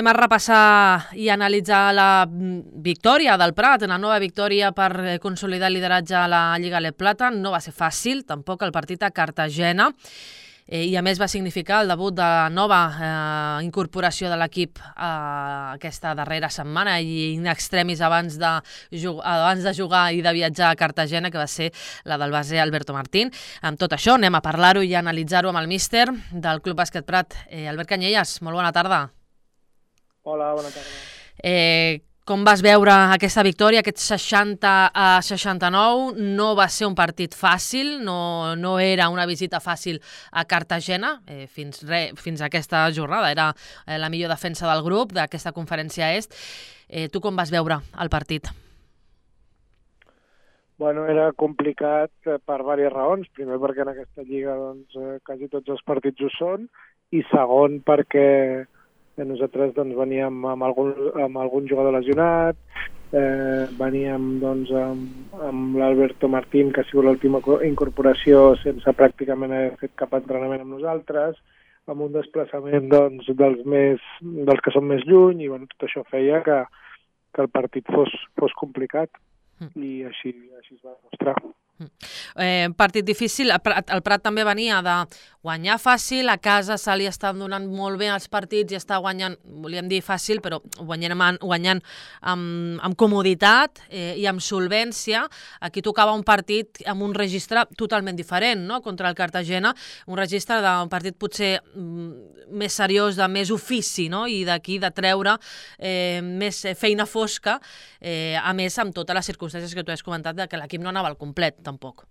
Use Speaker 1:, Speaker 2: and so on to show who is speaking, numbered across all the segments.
Speaker 1: Anem a repassar i analitzar la victòria del Prat, una nova victòria per consolidar el lideratge a la Lliga Leb Plata. No va ser fàcil, tampoc, el partit a Cartagena, i a més va significar el debut de la nova incorporació de l'equip aquesta darrera setmana i in extremis abans de jugar i de viatjar a Cartagena, que va ser la del base Alberto Martín. Amb tot això anem a parlar-ho i a analitzar-ho amb el míster del Club Bàsquet Prat, Albert Canyelles. Molt bona tarda.
Speaker 2: Hola, bona tarda.
Speaker 1: Com vas veure aquesta victòria, aquest 60-69? No va ser un partit fàcil, no era una visita fàcil a Cartagena fins a aquesta jornada. Era la millor defensa del grup d'aquesta conferència est. Tu com vas veure el partit?
Speaker 2: Bueno, era complicat per diverses raons. Primer, perquè en aquesta lliga quasi tots els partits ho són, i segon, perquè nosaltres veníem amb algun jugador lesionat, veníem amb l'Alberto Martín, que ha sigut l'última incorporació sense pràcticament haver fet cap entrenament amb nosaltres, amb un desplaçament dels que són més lluny, i tot això feia que el partit fos complicat, i així es va demostrar.
Speaker 1: Partit difícil. El Prat també venia de guanyar fàcil, a casa se li estan donant molt bé els partits i està guanyant, volíem dir fàcil, però guanyant amb comoditat i amb solvència. Aquí tocava un partit amb un registre totalment diferent, no?, contra el Cartagena, un registre d'un partit potser més seriós, de més ofici, no?, i d'aquí de treure més feina fosca, a més amb totes les circumstàncies que tu has comentat, que l'equip no anava al complet tampoc.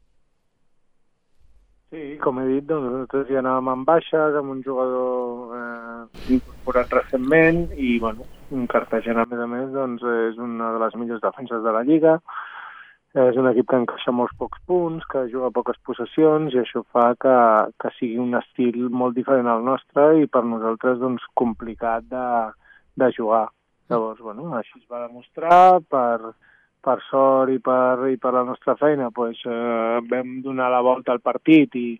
Speaker 2: Sí, com he dit, nosaltres ja anàvem en baixes, amb un jugador incorporat recentment, i un Cartagena, a més, és una de les millors defenses de la Lliga. És un equip que encaixa molts pocs punts, que juga poques possessions, i això fa que sigui un estil molt diferent al nostre i per nosaltres complicat de jugar. Llavors, així es va demostrar. Per sort i per la nostra feina vam donar la volta al partit i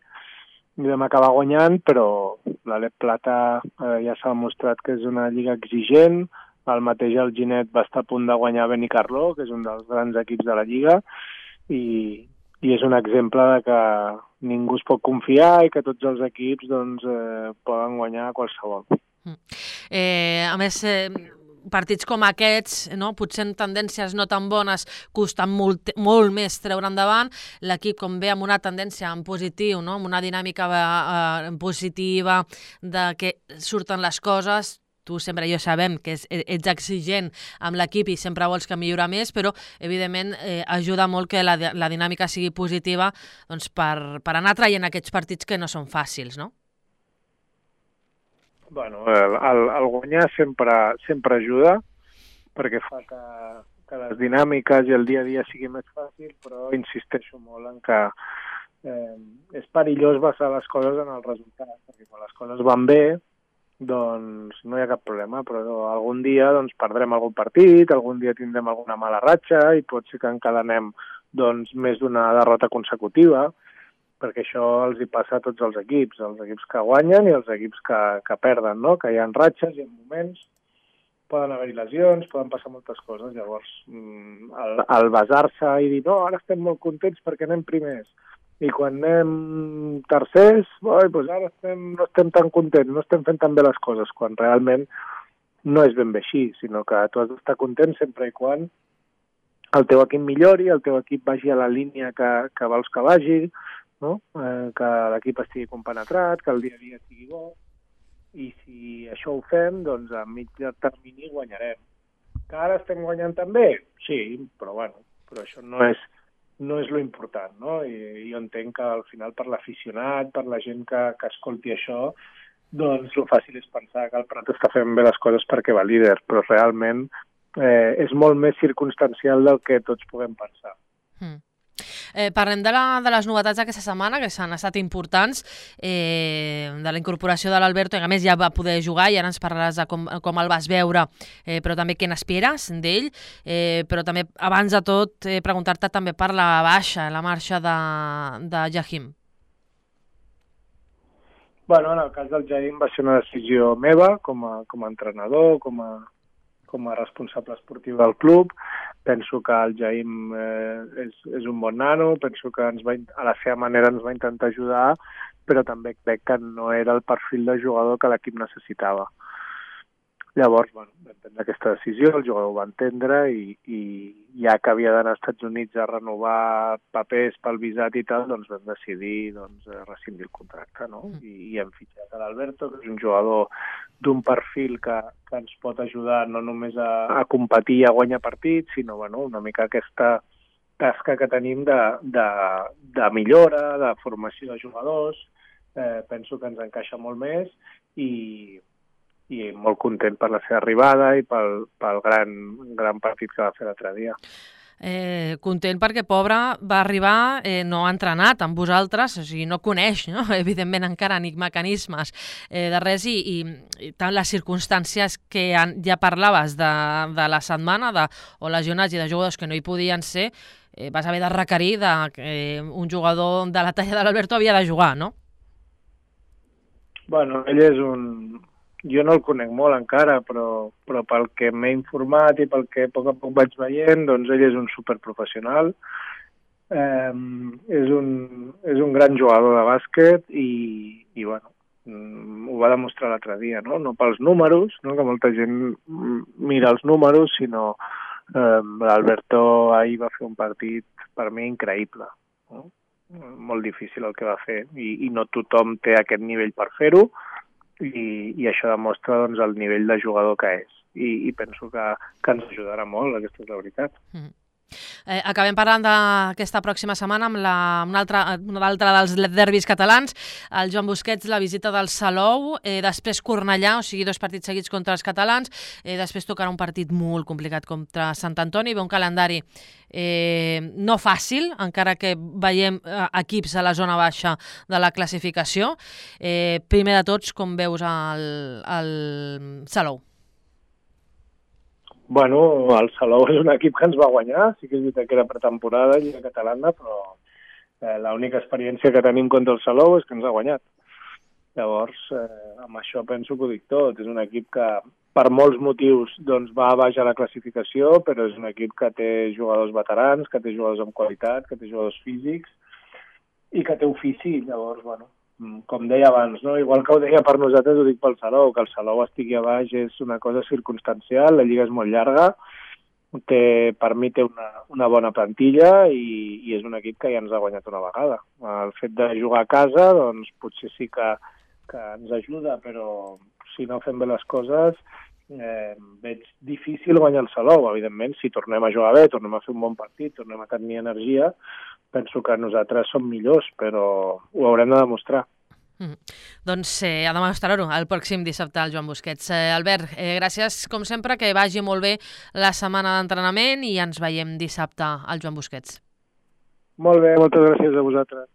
Speaker 2: vam acabar guanyant, però la Leb Plata ja s'ha demostrat que és una lliga exigent. El mateix Alginet va estar a punt de guanyar Benicarló, que és un dels grans equips de la lliga, i és un exemple de que ningú es pot confiar i que tots els equips poden guanyar qualsevol.
Speaker 1: A més, partits com aquests, potser en tendències no tan bones, costen molt més treure endavant. L'equip, com ve amb una tendència en positiu, amb una dinàmica positiva de que surten les coses. Tu sempre, jo sabem que ets exigent amb l'equip i sempre vols que millorar més, però evidentment ajuda molt que la dinàmica sigui positiva per anar traient aquests partits que no són fàcils, no?
Speaker 2: El guanyar sempre ajuda, perquè fa que les dinàmiques i el dia a dia sigui més fàcil, però insisteixo molt en que és perillós basar les coses en el resultat, perquè quan les coses van bé, no hi ha cap problema, però algun dia perdrem algun partit, algun dia tindrem alguna mala ratxa i pot ser que encadenem més d'una derrota consecutiva, perquè això els hi passa a tots els equips que guanyen i els equips que perden, no? Que hi ha ratxes i en moments poden haver-hi lesions, poden passar moltes coses. Llavors, el basar-se i dir, no, ara estem molt contents perquè anem primers, i quan anem tercers, ara no estem tan contents, no estem fent tan bé les coses, quan realment no és ben bé així, sinó que tu has d'estar content sempre i quan el teu equip millori, el teu equip vagi a la línia que vols que vagi, no? Que l'equip estigui compenetrat, que el dia a dia estigui bo, i si això ho fem, a mitjà termini guanyarem. Que ara estem guanyant també? Sí, però això no és lo important, no? I jo entenc que al final per l'aficionat, per la gent que escolti això, lo fàcil és pensar que el Prat està fent bé les coses perquè va líder, però realment és molt més circumstancial del que tots puguem pensar.
Speaker 1: Parlem de les novetats d'aquesta setmana, que s'han estat importants, de la incorporació de l'Alberto, que a més ja va poder jugar, i ara ens parlaràs de com el vas veure, però també què n'esperes d'ell, però també, abans de tot, preguntar-te també per la marxa de Jahim.
Speaker 2: Bueno, en el cas del Jaim va ser una decisió meva com a entrenador, com a responsable esportiu del club. Penso que el Jaim és un bon nano, penso que a la seva manera ens va intentar ajudar, però també crec que no era el perfil de jugador que l'equip necessitava. Llavors, vam prendre aquesta decisió, el jugador ho va entendre i ja que havia d'anar als Estats Units a renovar papers pel visat i tal, doncs vam decidir rescindir el contracte, no? I hem fitxat a l'Alberto, que és un jugador d'un perfil que ens pot ajudar no només a competir i a guanyar partits, sinó una mica aquesta tasca que tenim de millora, de formació de jugadors. Penso que ens encaixa molt més i molt content per la seva arribada i pel gran partit que va fer l'altre dia.
Speaker 1: Content perquè, pobre, va arribar, no ha entrenat amb vosaltres, o sigui, no coneix, no? Evidentment, encara ni mecanismes de res i tant les circumstàncies que ja parlaves de la setmana, o lesionats i de jugadors que no hi podien ser, vas haver de requerir que un jugador de la talla de l'Alberto havia de jugar, no?
Speaker 2: Bueno, ell és jo no el conec molt encara, però pel que m'he informat i pel que a poc vaig veient, doncs ell és un superprofessional, és un gran jugador de bàsquet i ho va demostrar l'altre dia, no pels números, no? Que molta gent mira els números, sinó l'Alberto ahir va fer un partit per mi increïble, no? Molt difícil el que va fer i no tothom té aquest nivell per fer-ho, i això demostra el nivell de jugador que és. I penso que ens ajudarà molt, aquesta és la veritat.
Speaker 1: Acabem parlant d'aquesta pròxima setmana amb una altra dels derbis catalans, el Joan Busquets, la visita del Salou, després Cornellà, o sigui, 2 partits seguits contra els catalans, després tocarà un partit molt complicat contra Sant Antoni, ve un calendari no fàcil, encara que veiem equips a la zona baixa de la classificació. Primer de tots, com veus el Salou?
Speaker 2: Bueno, el Salou és un equip que ens va guanyar, sí que és veritat que era pretemporada, Lliga Catalana, però l'única experiència que tenim contra el Salou és que ens ha guanyat. Llavors, amb això penso que ho dic tot. És un equip que, per molts motius, va a baix a la classificació, però és un equip que té jugadors veterans, que té jugadors amb qualitat, que té jugadors físics i que té ofici. Llavors, com deia abans, no? Igual que ho deia per nosaltres, ho dic pel Salou, que el Salou estigui a baix és una cosa circumstancial, la Lliga és molt llarga, per mi té una bona plantilla i és un equip que ja ens ha guanyat una vegada. El fet de jugar a casa, doncs potser sí que ens ajuda, però si no fem bé les coses, veig difícil guanyar el Salou. Evidentment, si tornem a jugar bé, tornem a fer un bon partit, tornem a tenir energia, penso que nosaltres som millors, però ho haurem de demostrar.
Speaker 1: Doncs ha de demostrar-ho el pròxim dissabte al Joan Busquets. Albert, gràcies com sempre, que vagi molt bé la setmana d'entrenament i ens veiem dissabte al Joan Busquets.
Speaker 2: Molt bé, moltes gràcies a vosaltres.